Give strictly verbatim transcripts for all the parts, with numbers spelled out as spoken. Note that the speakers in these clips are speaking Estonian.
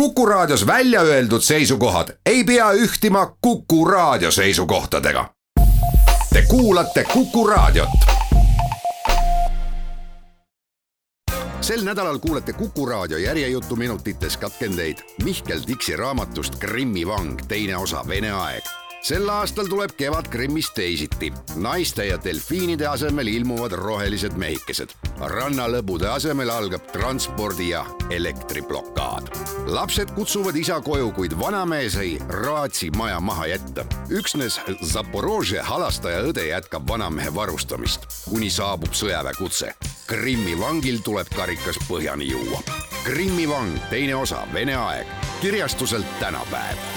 Kuku Raadios välja öeldud seisukohad ei pea ühtima Kuku Raadio seisukohtadega. Te kuulate Kuku Raadiot. Sel nädalal kuulete Kuku Raadio järjejutu minutites katkendeid Mihkel Tiksi raamatust Krimmi vang, teine osa Vene aeg. Sel aastal tuleb kevad Krimmist teisiti. Naiste ja delfiinide asemel ilmuvad rohelised mehikesed. Rannalõbude asemel algab transpordi- ja elektriblokaad. Lapsed kutsuvad isa koju, kuid vanamees ei raatsi maja maha jätta. Üksnes Zaporožje halastaja õde jätkab vanamehe varustamist, kuni saabub sõjaväe kutse. Krimmi vangil tuleb karikas põhjani juua. Krimmi vang, teine osa Vene aeg. Kirjastuselt tänapäev.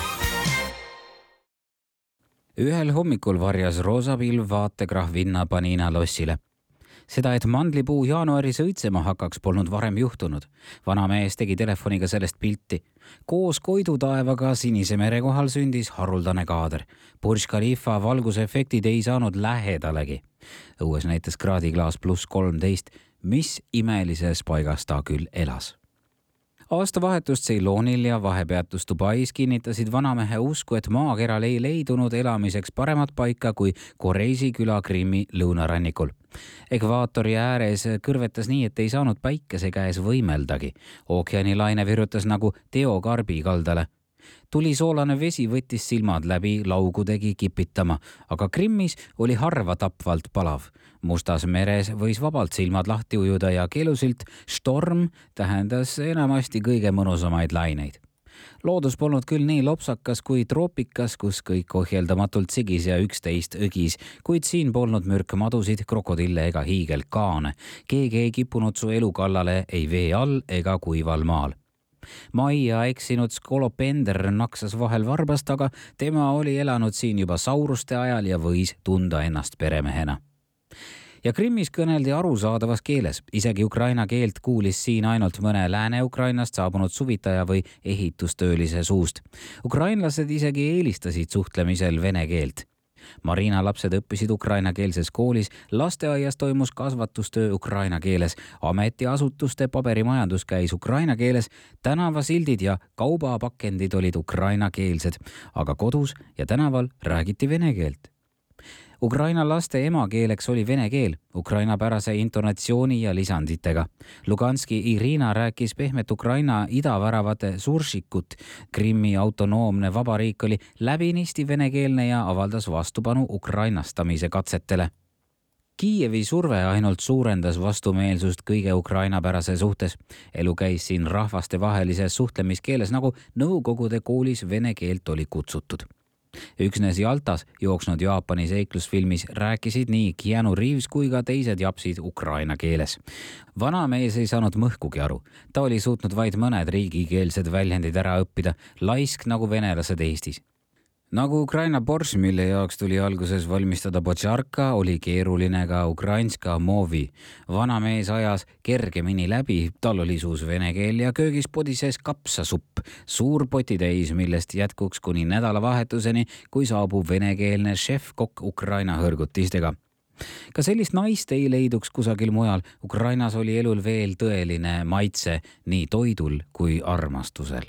Ühel hommikul varjas roosapilv vaatekrahv Vinna Panina lossile. Seda, et mandlipuu jaanuaris õitsema hakkaks, polnud varem juhtunud. Vanamees tegi telefoniga sellest pilti. Koos koidutaevaga Sinise mere kohal sündis haruldane kaader. Burj Khalifa valgusefektid ei saanud lähedalegi. Õues näitas kraadiklaas pluss kolmteist, mis imelises paigas ta küll elas. Aastavahetust Ceylonil ja vahepeatus Dubais kinnitasid vanamehe usku, et maakeral ei leidunud elamiseks paremat paika kui Koreisi küla Krimmi lõunarannikul. Ekvaatori ääres kõrvetas nii, et ei saanud päikese käes võimeldagi. Ookeani laine virutas nagu Teo Karbi kaldale. Tuli soolane vesi võttis silmad läbi, laugu tegi kipitama, aga Krimmis oli harva tapvalt palav. Mustas meres võis vabalt silmad lahti ujuda ja keelusilt storm tähendas enamasti kõige mõnusamaid laineid. Loodus polnud küll nii lopsakas kui troopikas, kus kõik ohjeldamatult sigis ja üksteist õgis, kuid siin polnud mürkmadusid, krokodille ega hiigelkaane. Keegi ei kippunud su elu kallale ei vee all ega kuival maal. Maia eksinud Skolopender naksas vahel varbast, aga tema oli elanud siin juba sauruste ajal ja võis tunda ennast peremehena. Ja Krimmis kõneldi arusaadavas keeles. Isegi ukraina keelt kuulis siin ainult mõne Lääne-Ukrainast saabunud suvitaja või ehitustöölise suust. Ukrainlased isegi eelistasid suhtlemisel vene keelt. Marina lapsed õppisid ukrainakeelses koolis, lasteaias toimus kasvatustöö ukraina keeles, ametiasutuste paberimajandus käis ukraina keeles, tänavasildid ja kaubapakendid olid ukrainakeelsed, aga kodus ja tänaval räägiti vene keelt. Ukraina laste emakeeleks oli vene keel, ukraina pärase intonatsiooni ja lisanditega. Luganski Irina rääkis pehmet Ukraina idaväravate suršikut. Krimmi autonoomne vabariik oli läbinisti venekeelne ja avaldas vastupanu ukrainastamise katsetele. Kiievi surve ainult suurendas vastumeelsust kõige ukraina pärase suhtes. Elu käis siin rahvaste vahelises suhtlemiskeeles, nagu Nõukogude koolis vene keelt oli kutsutud. Üksnes Jaltas jooksnud Jaapani seiklusfilmis rääkisid nii Keanu Reeves kui ka teised japsid ukraina keeles. Vanamees ei saanud mõhkugi aru. Ta oli suutnud vaid mõned riigikeelsed väljendid ära õppida, laisk nagu venelased Eestis. Nagu Ukraina borš, mille jaoks tuli alguses valmistada botšarka, oli keeruline ka ukrainska movi. Vanamees ajas kergemini läbi, tal oli suus vene keel ja köögis podises kapsasupp, suur potitäis, millest jätkuks kuni nädalavahetuseni, kui saabub venekeelne šef-kokk Ukraina hõrgutistega. Ka sellist naist ei leiduks kusagil mujal. Ukrainas oli elul veel tõeline maitse nii toidul kui armastusel.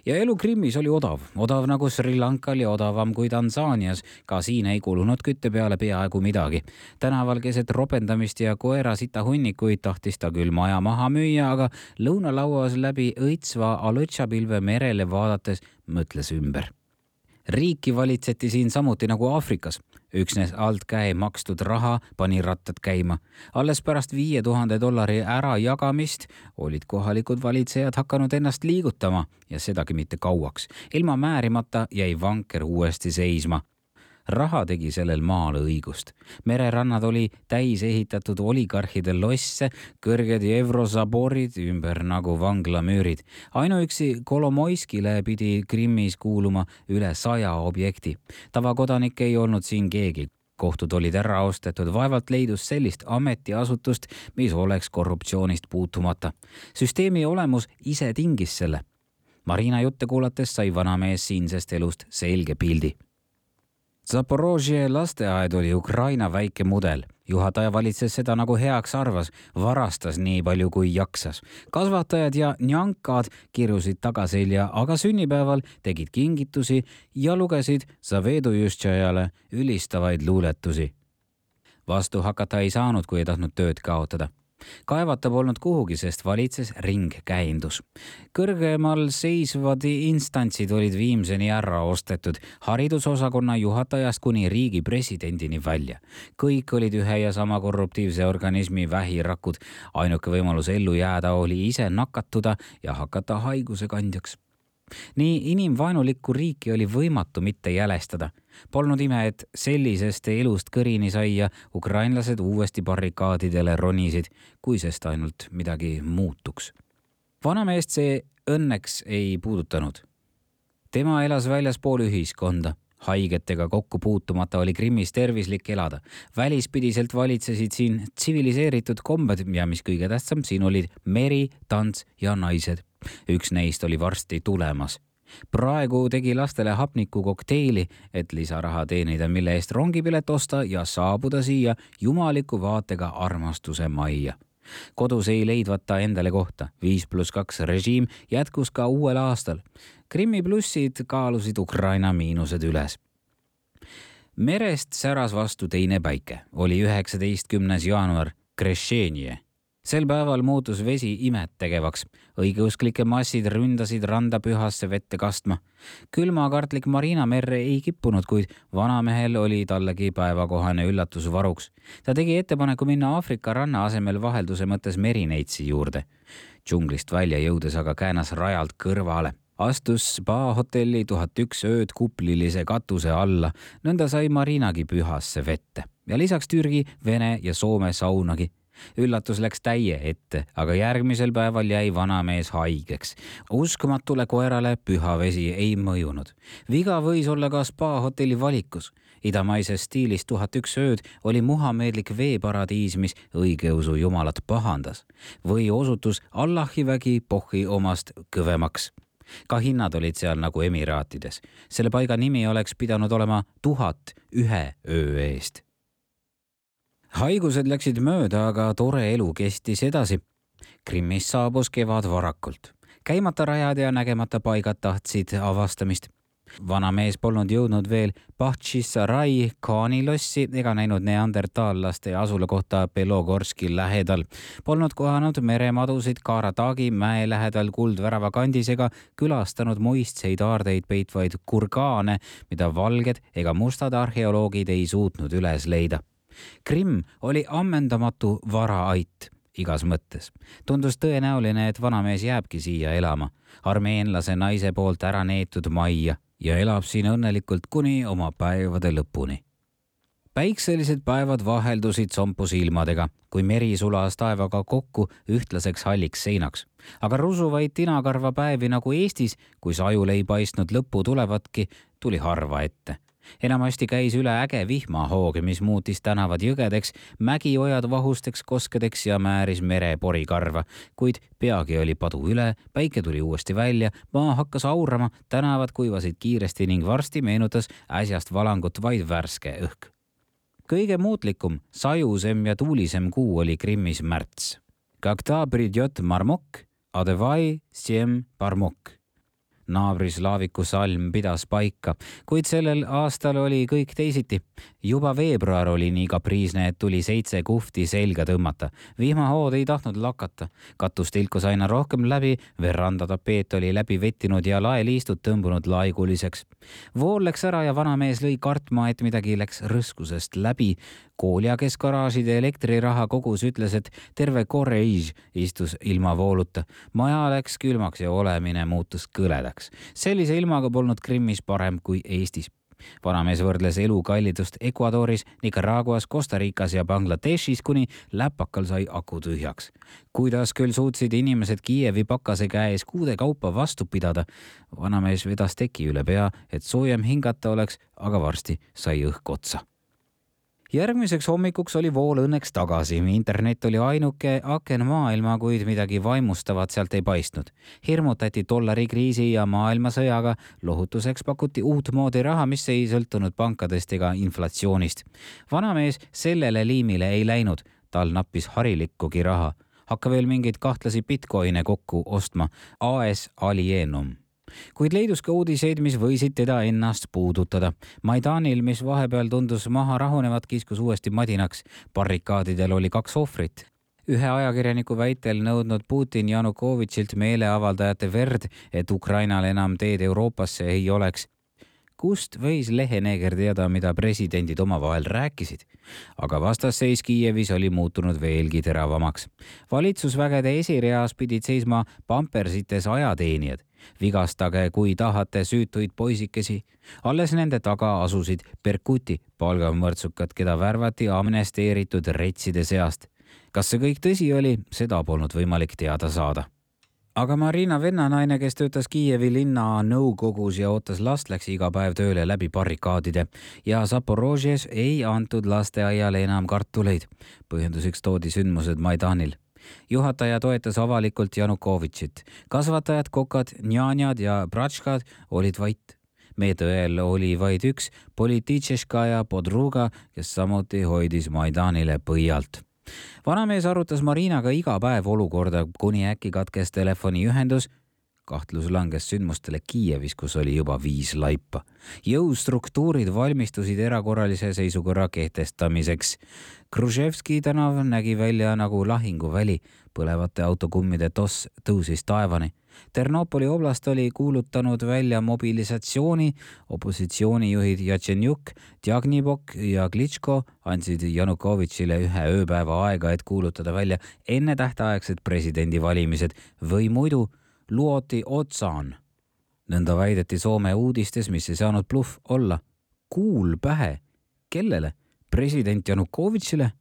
Ja elu Krimmis oli odav, odav nagu Sri Lankal ja odavam kui Tansaanias. Ka siin ei kulunud kütte peale peaaegu midagi. Tänaval keset ropendamist ja koera sita hunnikuid tahtis ta küll maja maha müüa, aga lõunalauas läbi õitsva Alõtšapilve merele vaadates mõtles ümber. Riiki valitseti siin samuti nagu Aafrikas. Üksnes alt käe makstud raha pani rattad käima. Alles pärast viie tuhande dollari ära jagamist olid kohalikud valitsejad hakanud ennast liigutama ja sedagi mitte kauaks. Ilma määrimata jäi vanker uuesti seisma. Raha tegi sellel maal õigust. Mererannad oli täis ehitatud oligarhide losse, kõrged Evrosaborid ümber nagu vanglamüürid. Ainuüksi Kolomoiskile pidi Krimmis kuuluma üle saja objekti. Tavakodanik ei olnud siin keegi. Kohtud olid ära ostetud, vaevalt leidus sellist ametiasutust, mis oleks korruptsioonist puutumata. Süsteemi olemus ise tingis selle. Marina jutte kuulates sai vanamees siinsest elust selge pildi. Zaporožje lasteaed oli Ukraina väike mudel. Juhataja valitses seda nagu heaks arvas, varastas nii palju kui jaksas. Kasvatajad ja njankad kirusid tagaselja, aga sünnipäeval tegid kingitusi ja lugesid Zavedujustšajale ülistavaid luuletusi. Vastu hakata ei saanud, kui ei tahtnud tööd kaotada. Kaevata polnud kuhugi, sest valitses ringkäindus. Kõrgemal seisvad instantsid olid viimseni ära ostetud, haridusosakonna juhatajast kuni riigi presidendini välja. Kõik olid ühe ja sama korruptiivse organismi vähirakud. Ainuke võimalus ellu jääda oli ise nakatuda ja hakata haiguse kandjaks. Nii inimvaenulikku riiki oli võimatu mitte jälestada. Polnud ime, et sellisest elust kõrini sai ja ukrainlased uuesti barrikaadidele ronisid, kui sest ainult midagi muutuks. Vanameest see õnneks ei puudutanud. Tema elas väljaspool ühiskonda. Haigetega kokku puutumata oli Krimmis tervislik elada. Välispidiselt valitsesid siin tsiviliseeritud kombed ja mis kõige tähtsam, siin olid meri, tants ja naised. Üks neist oli varsti tulemas. Praegu tegi lastele hapniku kokteili, et lisaraha teenida, mille eest rongipilet osta ja saabuda siia jumaliku vaatega armastuse majja. Kodus ei leidvata endale kohta. viis pluss kaks režiim jätkus ka uuel aastal. Krimmi plussid kaalusid Ukraina miinused üles. Merest säras vastu teine päike. Oli üheksateistkümnes jaanuar, Krešenje. Sel päeval muutus vesi imet tegevaks. Õigeusklike massid ründasid randa pühasse vette kastma. Külmakartlik Marina merre ei kippunud, kuid vanamehel oli tallegi päevakohane üllatus varuks. Ta tegi ettepaneku minna Aafrika ranna asemel vahelduse mõttes merineitsi juurde. Džunglist välja jõudes aga käänas rajalt kõrvale. Astus spa hotelli tuhat üks ööd kuplilise katuse alla. Nõnda sai Marinagi pühasse vette. Ja lisaks Türgi, Vene ja Soome saunagi. Üllatus läks täie ette, aga järgmisel päeval jäi vanamees haigeks. Uskmatule koerale püha vesi ei mõjunud. Viga võis olla ka spa hotelli valikus. Idamaises stiilis tuhat üks ööd oli muhameedlik veeparadiis, mis õigeusu jumalat pahandas. Või osutus Allahi vägi pohhi omast kõvemaks. Ka hinnad olid seal nagu Emiraatides. Selle paiga nimi oleks pidanud olema tuhat ühe öö eest. Haigused läksid mööda, aga tore elu kestis edasi. Krimmis saabus kevad varakult. Käimata rajad ja nägemata paigad tahtsid avastamist. Vanamees polnud jõudnud veel Bahtšisarai kaanilossi ega näinud neandertaallaste asula kohta Belogorski lähedal. Polnud kohanud meremadusid Karatagi mäe lähedal Kuldvärava kandis ega külastanud muistseid aardeid peitvaid kurgaane, mida valged ega mustad arheoloogid ei suutnud üles leida. Krimm oli ammendamatu varaait igas mõttes. Tundus tõenäoline, et vanamees jääbki siia elama, armeenlase naise poolt ära neetud majja ja elab siin õnnelikult kuni oma päevade lõpuni. Päikselised päevad vaheldusid sompusilmadega, kui meri sulas taevaga kokku ühtlaseks halliks seinaks. Aga rusuvaid tinakarva päevi nagu Eestis, kui sajul ei paistnud lõppu tulevatki, tuli harva ette. Enamasti käis üle äge vihmahoog, mis muutis tänavad jõgedeks, mägiojad vahusteks koskedeks ja määris mere porikarva, kuid peagi oli padu üle, päike tuli uuesti välja, maa hakkas aurama, tänavad kuivasid kiiresti ning varsti meenutas äsjast valangut vaid värske õhk. Kõige muutlikum, sajusem ja tuulisem kuu oli Krimmis märts. Когда придет marmok, adevai siem parmok. Naabris laaviku salm pidas paika, kuid sellel aastal oli kõik teisiti. Juba veebruar oli nii kapriisne, et tuli seitse kuhti selga tõmmata. Vihmahood ei tahtnud lakata. Katus tilkus aina rohkem läbi, veranda tapeet oli läbi vettinud ja laeliistud tõmbunud laiguliseks. Vool läks ära ja vanamees lõi kartma, et midagi läks rõskusest läbi. Koolja, kes garaažide elektriraha kogus, ütles, et terve korreiž istus ilma vooluta. Maja läks külmaks ja olemine muutus kõledaks. Sellise ilmaga polnud Krimmis parem kui Eestis. Vanamees võrdles elu kallidust Ecuadoris, Nicaraguas, Costa Ricas ja Bangladeshis, kuni läpakal sai aku tühjaks. Kuidas küll suutsid inimesed Kiievi pakase käes kuude kaupa vastu pidada? Vanamees vedas teki üle pea, et soojem hingata oleks, aga varsti sai õhk otsa. järgmiseks hommikuks oli vool õnneks tagasi. Internet oli ainuke aken maailma, kuid midagi vaimustavat sealt ei paistnud. Hirmutati dollarikriisi ja maailmasõjaga, lohutuseks pakuti uut moodi raha, mis ei sõltunud pankadest ega inflatsioonist. Vanamees sellele liimile ei läinud, tal nappis harilikkugi raha. Hakka veel mingeid kahtlasi bitcoine kokku ostma, A S Alienum. Kuid leidus ka uudiseid, mis võisid teda ennast puudutada. Maidanil, mis vahepeal tundus maha rahunevat, kiskus uuesti madinaks. Barrikaadidel oli kaks ohvrit. Ühe ajakirjaniku väitel nõudnud Putin Janukovitšilt meeleavaldajate verd, et Ukrainal enam teed Euroopasse ei oleks. Kust võis leheneeger teada, mida presidendid omavahel rääkisid? Aga vastasseis Kiievis oli muutunud veelgi teravamaks. Valitsusvägede esireas pidid seisma pampersites ajateenijad. Vigastage, kui tahate süütuid poisikesi. Alles nende taga asusid Berkuti palgamõrtsukad, keda värvati amnesteeritud retside seast. Kas see kõik tõsi oli, seda polnud võimalik teada saada. Aga Marina vennanaine, kes töötas Kiievi linna nõukogus ja ootas last, läks iga päev tööle läbi barrikaadide ja Zaporožjes ei antud lasteaiale enam kartuleid. Põhjenduseks toodi sündmused Maidanil. Juhataja toetas avalikult Janukovitšit. Kasvatajad, kokad, njanjad ja bratškad olid vait. Meetõel oli vaid üks Političeška ja Podruga, kes samuti hoidis Maidanile põialt. Vanamees arutas Marinaga iga päev olukorda, kuni äkki katkes telefoniühendus. Kahtlus langes sündmustele Kiievis, kus oli juba viis laipa. Jõustruktuurid valmistusid erakorralise seisukorra kehtestamiseks. Kruževski tänav nägi välja nagu lahinguväli. Põlevate autokummide toss tõusis taevani. Ternopoli oblast oli kuulutanud välja mobilisatsiooni. Opositsioonijuhid Jatšenjuk, Djagnibok ja Klitško andsid Janukovitšile ühe ööpäeva aega, et kuulutada välja enne tähtaegsed presidendivalimised või muidu luoti otsaan. Nõnda väideti Soome uudistes, mis ei saanud bluff olla. Kuul pähe. Kellele? President Janukovitšile?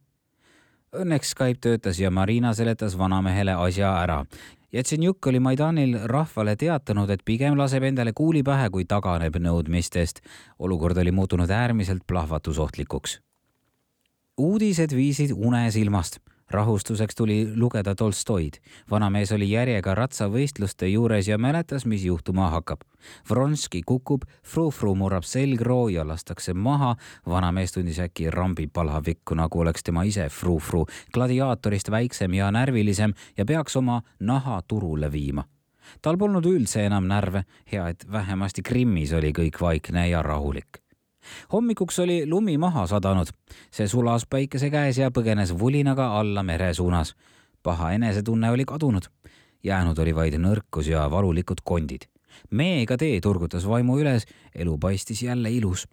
Õnneks Skype töötas ja Marina seletas vanamehele asja ära. Jatšenjuk oli Maidanil rahvale teatanud, et pigem laseb endale kuuli pähe, kui taganeb nõudmistest. Olukord oli muutunud äärmiselt plahvatusohtlikuks. Uudised viisid une silmast. Rahustuseks tuli lugeda Tolstoid. Vanamees oli järjega ratsavõistluste juures ja mäletas, mis juhtuma hakkab. Vronski kukub, fruu-fruu murrab selgroo ja lastakse maha. Vanamees tundis äkki rambi palavikku, nagu oleks tema ise fruu-fruu, gladiaatorist väiksem ja närvilisem ja peaks oma naha turule viima. Tal polnud üldse enam närve, hea, et vähemasti Krimmis oli kõik vaikne ja rahulik. Hommikuks oli lumi maha sadanud. See sulas päikese käes ja põgenes vulinaga alla mere suunas. Paha enesetunne oli kadunud. Jäänud oli vaid nõrkus ja valulikud kondid. Meega tee turgutas vaimu üles, elu paistis jälle ilus.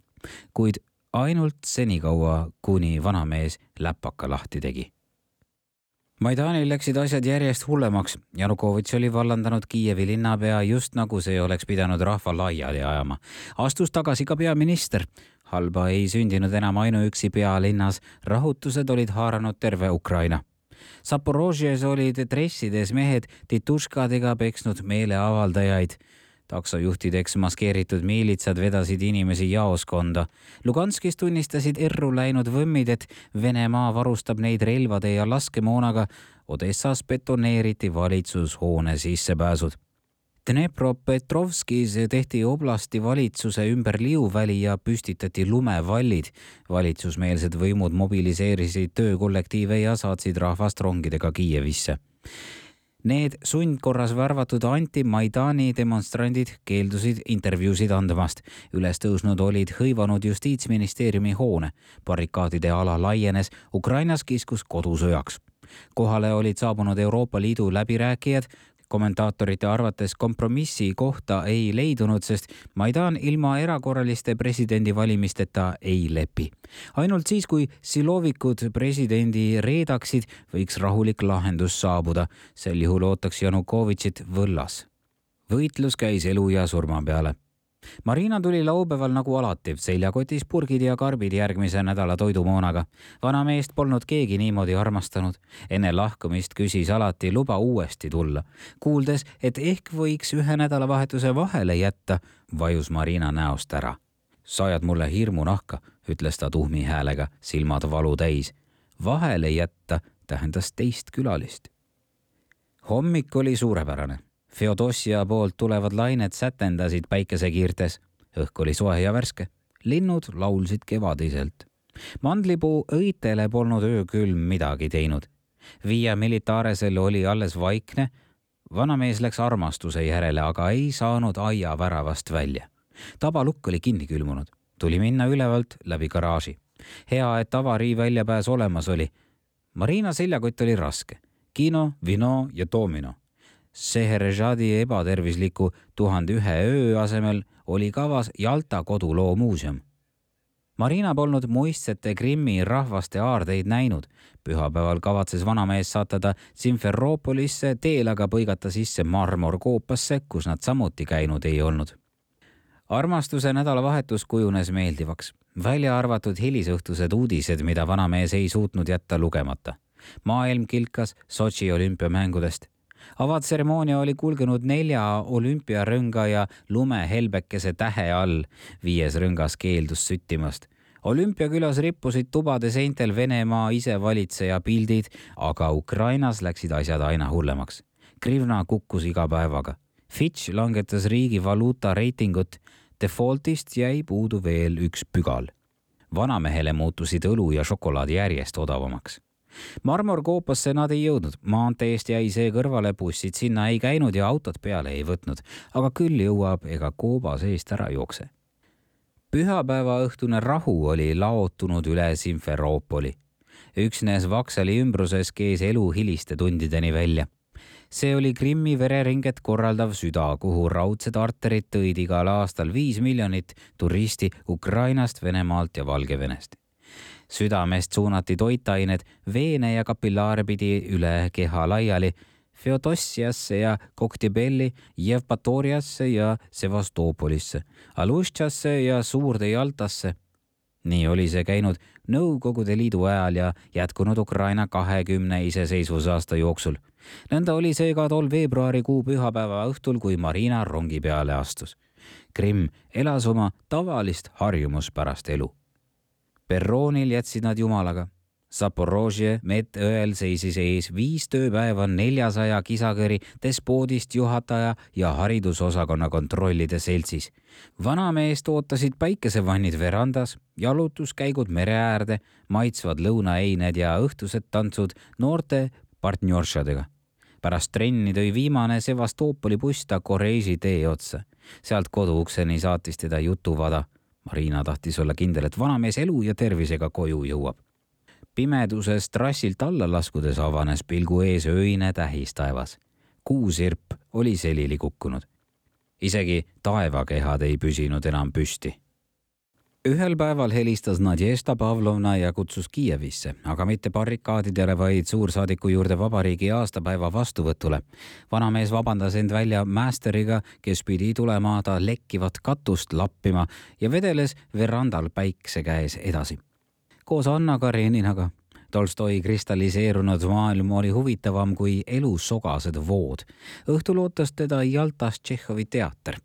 Kuid ainult senikaua, kuni vanamees läpaka lahti tegi. Maidanil läksid asjad järjest hullemaks. Janukovitš oli vallandanud Kiievi linnapea just nagu see oleks pidanud rahva laiali ajama. Astus tagasi ka peaminister. Halba ei sündinud enam ainuüksi pealinnas. Rahutused olid haaranud terve Ukraina. Zaporožjes olid dressides mehed tituškadega peksnud meeleavaldajaid. Taksojuhtideks maskeeritud miilitsad vedasid inimesi jaoskonda. Luganskis tunnistasid erru läinud võmmid, et Venemaa varustab neid relvade ja laskemoonaga. Odessas betoneeriti valitsushoone sissepääsud. Dnepropetrovskis tehti oblasti valitsuse ümber liuväli ja püstitati lumevallid. Valitsusmeelsed võimud mobiliseerisid töökollektiive ja saatsid rahvast rongidega Kiievisse. Need sundkorras värvatud anti-Maidani demonstrandid keeldusid intervjuusid andmast. Üles tõusnud olid hõivanud justiitsministeeriumi hoone. Barrikaadide ala laienes, Ukrainas kiskus kodusõjaks. Kohale olid saabunud Euroopa Liidu läbirääkijad. Kommentaatorite arvates kompromissi kohta ei leidunud, sest Maidan ilma erakorraliste presidendivalimisteta ei lepi. Ainult siis, kui silovikud presidendi reedaksid, võiks rahulik lahendus saabuda. Sel juhul ootaks Janukovitšit võllas. Võitlus käis elu ja surma peale. Marina tuli laupäeval nagu alati, seljakotis purgid ja karbid järgmise nädala toidumoonaga. Vanameest polnud keegi niimoodi armastanud. Enne lahkumist küsis alati luba uuesti tulla. Kuuldes, et ehk võiks ühe nädalavahetuse vahele jätta, vajus Marina näost ära. Sajad mulle hirmu nahka, ütles ta tuhmi häälega, silmad valu täis. Vahele jätta tähendas teist külalist. Hommik oli suurepärane. Feodossia poolt tulevad lained sätendasid päikesekiirtes. Õhk oli soe ja värske. Linnud laulsid kevadiselt. Mandlipuu õitele polnud öökülm midagi teinud. Via Militaresel oli alles vaikne. Vanamees läks armastuse järele, aga ei saanud aia väravast välja. Tabalukk oli kinni külmunud. Tuli minna ülevalt läbi garaaži. Hea, et avarii väljapääs olemas oli. Marina seljakott oli raske. Kino, vino ja domino. Seherejadi ebatervisliku tuhande ühe öö asemel oli kavas Jalta koduloo muuseum. Marina polnud muistsete Krimmi rahvaste aardeid näinud. Pühapäeval kavatses vanamees saatada Simferoopolisse, teel aga põigata sisse marmorkoopasse, kus nad samuti käinud ei olnud. Armastuse nädalavahetus kujunes meeldivaks. Välja arvatud hilisõhtused uudised, mida vanamees ei suutnud jätta lugemata. Maailm kilkas Sotši olümpiamängudest. Avatseremoonia oli kulgenud nelja olümpiarõnga ja lumehelbekese tähe all. Viies rõngas keeldus süttimast. Olümpiakülas rippusid tubade seintel Venemaa isevalitseja pildid, aga Ukrainas läksid asjad aina hullemaks. Grivna kukkus iga päevaga. Fitch langetas riigi valuuta reitingut. Defaultist jäi puudu veel üks pügal. Vanamehele muutusid õlu ja šokolaadi järjest odavamaks. Marmorkoopasse nad ei jõudnud. Maanteest jäi see kõrvale, bussid sinna ei käinud ja autot peale ei võtnud. Aga küll jõuab ega kooba seest ära jookse. Pühapäeva õhtune rahu oli laotunud üle Simferoopoli. Üksnes Vaksali ümbruses kees elu hiliste tundideni välja. See oli Krimmi vereringet korraldav süda, kuhu raudsed arterid tõid igal aastal viis miljonit turisti Ukrainast, Venemaalt ja Valgevenest. Südamest suunati toitained veene ja kapillaare pidi üle keha laiali Feodossiasse ja Koktebelli, Jevpatoriasse ja Sevastopolisse, Aluštšasse ja Suurde Jaltasse. Nii oli see käinud Nõukogude Liidu ajal ja jätkunud Ukraina kahekümne iseseisvusaasta jooksul. Nõnda oli see ka tol veebruarikuu pühapäeva õhtul, kui Marina rongi peale astus. Krimm elas oma tavalist harjumuspärast elu. Perroonil jätsid nad jumalaga. Zaporožje medõel seisis ees viis tööpäeva neljasaja kisakõri despoodist juhataja ja haridusosakonna kontrollide seltsis. Vanameest ootasid päikesevannid verandas, jalutuskäigud mere äärde, maitsvad lõunaeined ja õhtused tantsud noorte partnjoršadega. Pärast trenni tõi viimane Sevastopoli buss ta Koreisi tee otsa. Sealt koduukseni saatis teda jutuvada. Marina tahtis olla kindel, et vanamees elu ja tervisega koju jõuab. Pimeduses trassilt alla laskudes avanes pilgu ees öine tähistaevas. Kuusirp oli selili kukkunud. Isegi taevakehad ei püsinud enam püsti. Ühel päeval helistas Nadježda Pavlovna ja kutsus Kiievisse, aga mitte barrikaadidele, vaid suursaadiku juurde vabariigi aastapäeva vastuvõtule. Vanamees vabandas end välja mästeriga, kes pidi tulema ta lekkivat katust lappima ja vedeles verandal päikse käes edasi. Koos Anna Kareninaga. Tolstoi kristalliseerunud maailm oli huvitavam kui elu sogased vood. Õhtul ootas teda Jaltas Tšehhovi teater.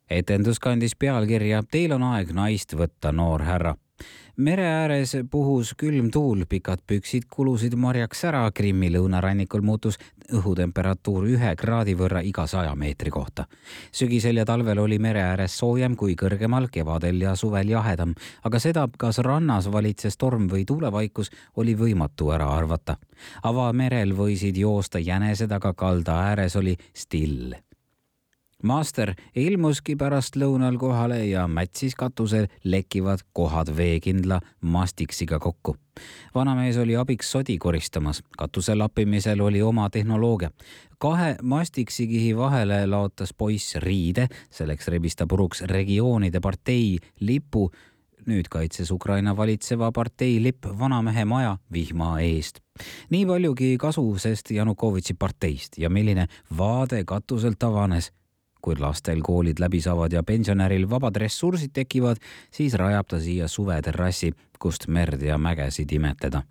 Etendus kandis pealkirja Teil on aeg naist võtta, noor härra. Mere ääres puhus külm tuul, pikad püksid kulusid marjaks ära, Krimmi lõunarannikul muutus õhutemperatuur ühe kraadi võrra iga saja meetri kohta. Sügisel ja talvel oli mere ääres soojem kui kõrgemal, kevadel ja suvel jahedam, aga seda, kas rannas valitses torm või tuulevaikus, oli võimatu ära arvata. Avamerel võisid joosta jänesed, aga kalda ääres oli still. Master ilmuski pärast lõunal kohale ja mätsis katusel lekkivad kohad veekindla mastiksiga kokku. Vanamees oli abiks sodi koristamas. Katuse lappimisel oli oma tehnoloogia. Kahe mastiksikihi vahele laotas poiss riide, selleks rebis ta puruks regioonide partei lipu. Nüüd kaitses Ukraina valitseva partei lipp vanamehe maja vihma eest. Nii paljugi kasu, sest Janukovitši parteist ja milline vaade katuselt avanes. Kui lastel koolid läbi saavad ja pensionäril vabad ressursid tekivad, siis rajab ta siia suveterrassi, kust merd ja mägesid imetleda.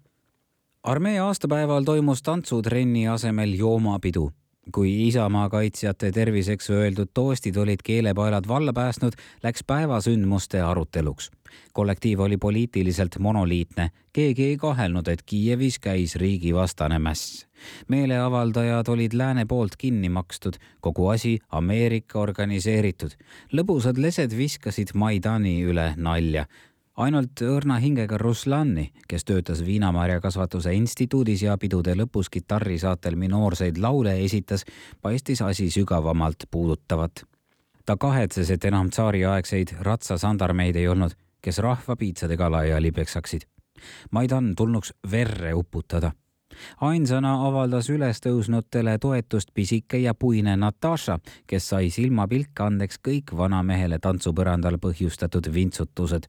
Armee aastapäeval toimus tantsutrenni asemel joomapidu. kui Isamaa kaitsjate terviseks öeldud toostid olid keelepaelad valla päästnud, läks päevasündmuste aruteluks. Kollektiiv oli poliitiliselt monoliitne. Keegi ei kahelnud, et Kiievis käis riigivastane mäss. Meeleavaldajad olid lääne poolt kinni makstud, kogu asi Ameerika organiseeritud. Lõbusad lesed viskasid Maidani üle nalja. Ainult õrna hingega Ruslani, kes töötas viinamarjakasvatuse instituudis ja pidude lõpus kitarrisaatel minoorseid laule esitas, paistis asi sügavamalt puudutavat. Ta kahetses, et enam tsaariaegseid ratsasandarmeid ei olnud, kes rahva piitsadega laiali peksaksid. Maidan tulnuks verre uputada. Ainsana avaldas ülestõusnutele toetust pisike ja puine Natasha, kes sai silmapilk andeks kõik vanamehele tantsupõrandal põhjustatud vintsutused.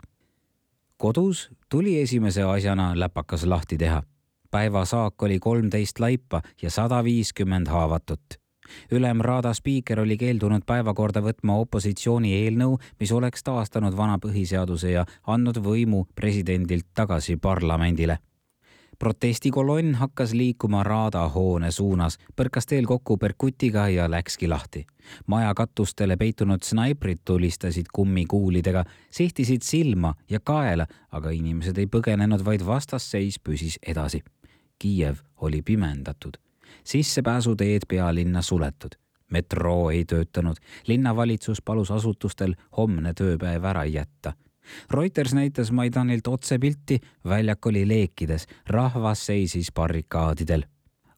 Kodus tuli esimese asjana läpakas lahti teha. Päeva saak oli kolmteist laipa ja sada viiskümmend haavatut. Ülemraada spiiker oli keeldunud päevakorda võtma opositsiooni eelnõu, mis oleks taastanud vana põhiseaduse ja andnud võimu presidendilt tagasi parlamendile. Protestikolonn hakkas liikuma Raada hoone suunas, põrkas teel kokku Berkutiga ja läkski lahti. Maja katustele peitunud snaiprid tulistasid kummikuulidega, sihtisid silma ja kaela, aga inimesed ei põgenenud, vaid vastasseis püsis edasi. Kiiev oli pimendatud. Sissepääsuteed pealinna suletud. Metroo ei töötanud. Linnavalitsus palus asutustel homne tööpäev ära jätta. Reuters näitas Maidanilt otsepilti, väljak oli leekides, rahvas seisis barrikaadidel.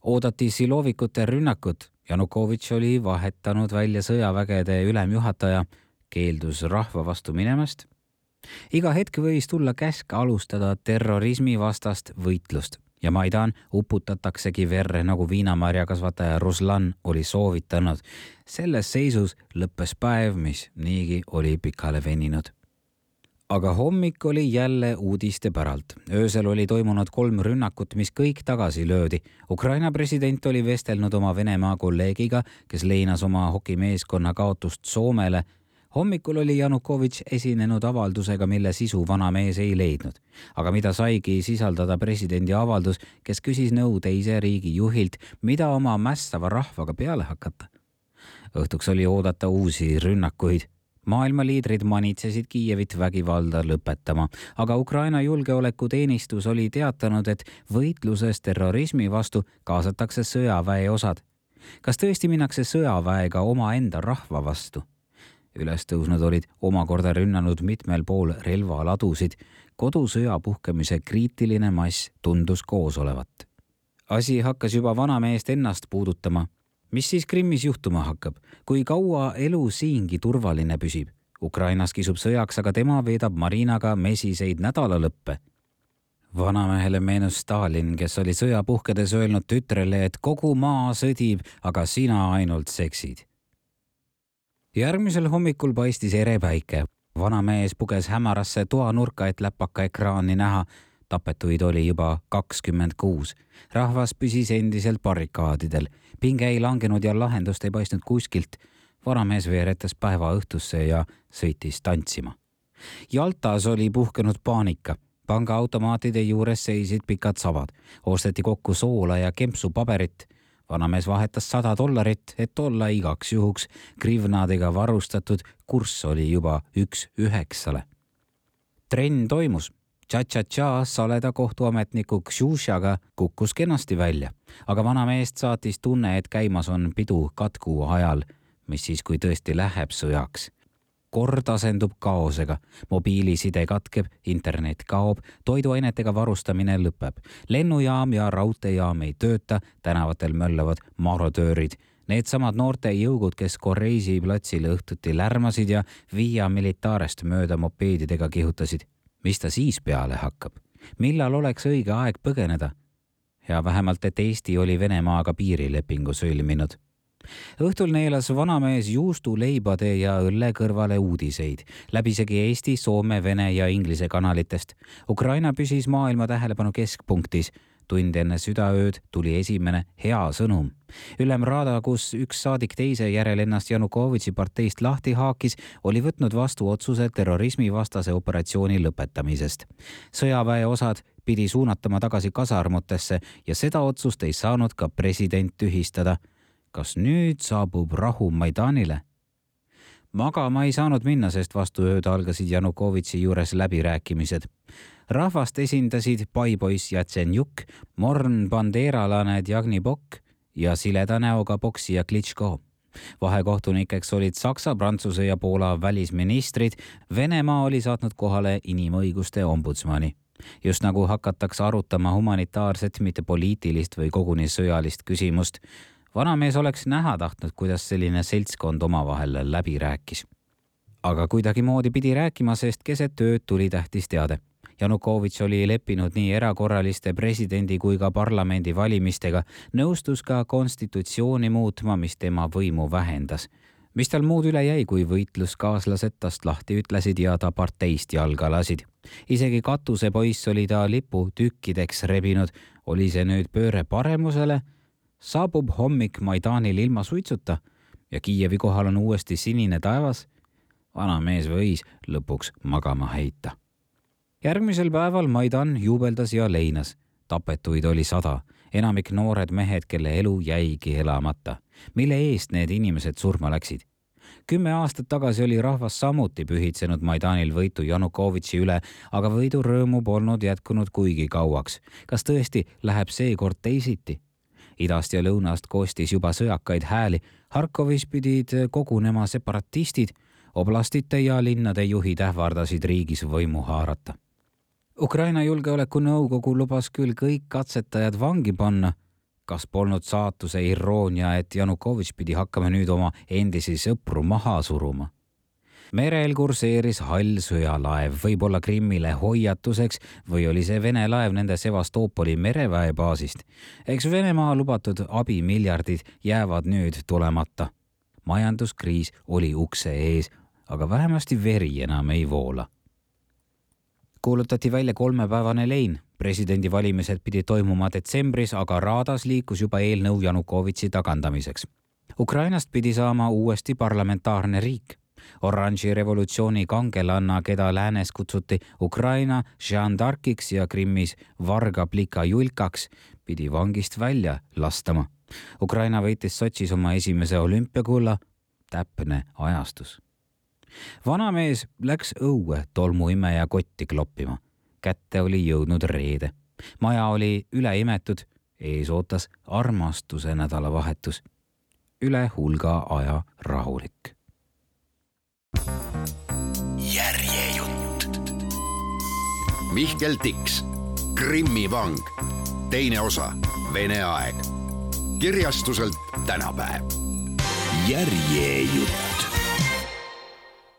Oodati Silovikute rünnakut. Janukovitš oli vahetanud välja sõjavägede ülemjuhataja, keeldus rahva vastu minemast. Iga hetk võis tulla käsk alustada terrorismi vastast võitlust ja Maidan uputataksegi verre, nagu viinamarjakasvataja Ruslan oli soovitanud. Selles seisus lõppes päev, mis niigi oli pikale veninud. Aga hommik oli jälle uudiste päralt. Öösel oli toimunud kolm rünnakut, mis kõik tagasi löödi. Ukraina president oli vestelnud oma Venemaa kolleegiga, kes leinas oma hokimeeskonna kaotust Soomele. Hommikul oli Janukovitš esinenud avaldusega, mille sisu vanamees ei leidnud. Aga mida saigi sisaldada presidendi avaldus, kes küsis nõu teise riigi juhilt, mida oma mässava rahvaga peale hakata. Õhtuks oli oodata uusi rünnakuid. Maailma liidrid manitsesid Kiievit vägivalda lõpetama, aga Ukraina julgeolekuteenistus oli teatanud, et võitluses terrorismi vastu kaasatakse sõjaväe osad. Kas tõesti minnakse sõjaväega oma enda rahva vastu? Ülestõusnud olid omakorda rünnanud mitmel pool relvaladusid. Kodusõja puhkemise kriitiline mass tundus koos olevat. Asi hakkas juba vanameest ennast puudutama. Mis siis Krimmis juhtuma hakkab? Kui kaua elu siingi turvaline püsib? Ukrainas kisub sõjaks, aga tema veedab Marinaga mesiseid nädalalõppe. Vanamehele meenus Stalin, kes oli sõja puhkedes öelnud tütrele, et kogu maa sõdib, aga sina ainult seksid. Järgmisel hommikul paistis ere päike. Vanamees puges hämarasse toanurka, et läpaka ekraani näha. Tapetuid oli juba kakskümmend kuus. Rahvas püsis endiselt barrikaadidel. Pinge ei langenud ja lahendust ei paistnud kuskilt. Vanamees veeretas päeva õhtusse ja sõitis tantsima. Jaltas oli puhkenud paanika. Pangaautomaatide juures seisid pikad savad. Osteti kokku soola ja kempsupaberit. Vanamees vahetas sada dollarit, et olla igaks juhuks grivnadega varustatud. Kurss oli juba üks üheksale. Trenn toimus. Tša-tša-tša saleda kohtuametniku Kšušaga kukkus kenasti välja, aga vanameest saatis tunne, et käimas on pidu katku ajal, mis siis kui tõesti läheb sõjaks. Kord asendub kaosega, mobiiliside katkeb, internet kaob, toiduainetega varustamine lõpeb. Lennujaam ja raudteejaam ei tööta, tänavatel möllavad marodöörid. Needsamad noorte jõugud, kes Koreisi platsile õhtuti lärmasid ja Via Militaarest mööda mopeedidega kihutasid. Mis ta siis peale hakkab? Millal oleks õige aeg põgeneda? Ja vähemalt, et Eesti oli Venemaaga piirilepingu sõlminud. Õhtul neelas vanamees juustuleibade ja õlle kõrvale uudiseid. Läbisegi Eesti, Soome, Vene ja Inglise kanalitest. Ukraina püsis maailma tähelepanu keskpunktis. Tund enne südaööd tuli esimene hea sõnum. Ülemraada, kus üks saadik teise järel ennast Janukovitši parteist lahti haakis, oli võtnud vastu otsuse terrorismi vastase operatsiooni lõpetamisest. Sõjaväe osad pidi suunatama tagasi kasarmutesse ja seda otsust ei saanud ka president tühistada. kas nüüd saabub rahu Maidanile? Magama ei saanud minna, sest vastu ööd algasid Janukovitši juures läbirääkimised. Rahvast esindasid paipoiss Jatsenjuk, morn bandeeralane Djagnibok ja sileda näoga poksija Klitschko. Vahekohtunikeks olid Saksa, Prantsuse ja Poola välisministrid. Venemaa oli saatnud kohale inimõiguste ombudsmani. Just nagu hakatakse arutama humanitaarset, mitte poliitilist või koguni sõjalist küsimust. Vanamees oleks näha tahtnud, kuidas selline seltskond omavahel läbi rääkis. Aga kuidagi moodi pidi rääkima, sest keset tööd tuli tähtis teade. Janukovitš oli leppinud nii erakorraliste presidendi kui ka parlamendi valimistega, nõustus ka konstitutsiooni muutma, mis tema võimu vähendas. Mis tal muud üle jäi, kui võitluskaaslased tast lahti ütlesid ja ta parteist jalga lasid. Isegi katusepoiss oli ta lipu tükkideks rebinud. Oli see nüüd pööre paremusele? Saabub hommik Maidanil ilma suitsuta ja Kiievi kohal on uuesti sinine taevas. Vanamees võis lõpuks magama heita. Järgmisel päeval Maidan juubeldas ja leinas. Tapetuid oli sada, enamik noored mehed, kelle elu jäigi elamata. Mille eest need inimesed surma läksid? Kümme aastat tagasi oli rahvas samuti pühitsenud Maidanil võitu Janukovitši üle, aga võidu rõõmu polnud jätkunud kuigi kauaks. Kas tõesti läheb seekord teisiti? Idast ja lõunast koostis juba sõjakaid hääli. Harkovis pidid kogunema separatistid, oblastite ja linnade juhid ähvardasid riigis võimu haarata. Ukraina julgeolekunõukogu lubas küll kõik katsetajad vangi panna. Kas polnud saatuse iroonia, et Janukovitš pidi hakkama nüüd oma endisi sõpru maha suruma? Merel kurseeris hall sõjalaev, võib-olla Krimmile hoiatuseks või oli see Vene laev nende Sevastoopoli mereväebaasist. Eks Venemaa lubatud abimiljardid jäävad nüüd tulemata. Majanduskriis oli ukse ees, aga vähemasti veri enam ei voola. Kuulutati välja kolmepäevane lein. Presidendivalimised pidi toimuma detsembris, aga Raadas liikus juba eelnõu Janukovitši tagandamiseks. Ukrainast pidi saama uuesti parlamentaarne riik. Oranži revolutsiooni kangelanna, keda läänes kutsuti Ukraina Jean d'Arciks ja Krimmis Varga Plika Julkaks, pidi vangist välja lastama. Ukraina võitis Sotšis oma esimese olümpiakulla. Täpne ajastus. Vanamees läks õue tolmuimeja kotti kloppima. Kätte oli jõudnud reede. Maja oli üle imetud, ees ootas armastuse nädalavahetus. Üle hulga aja rahulik. Järjejutt. Mihkel Tiks, Krimmi vang, teine osa, Vene aeg. Kirjastuselt Tänapäev. Järjejutt.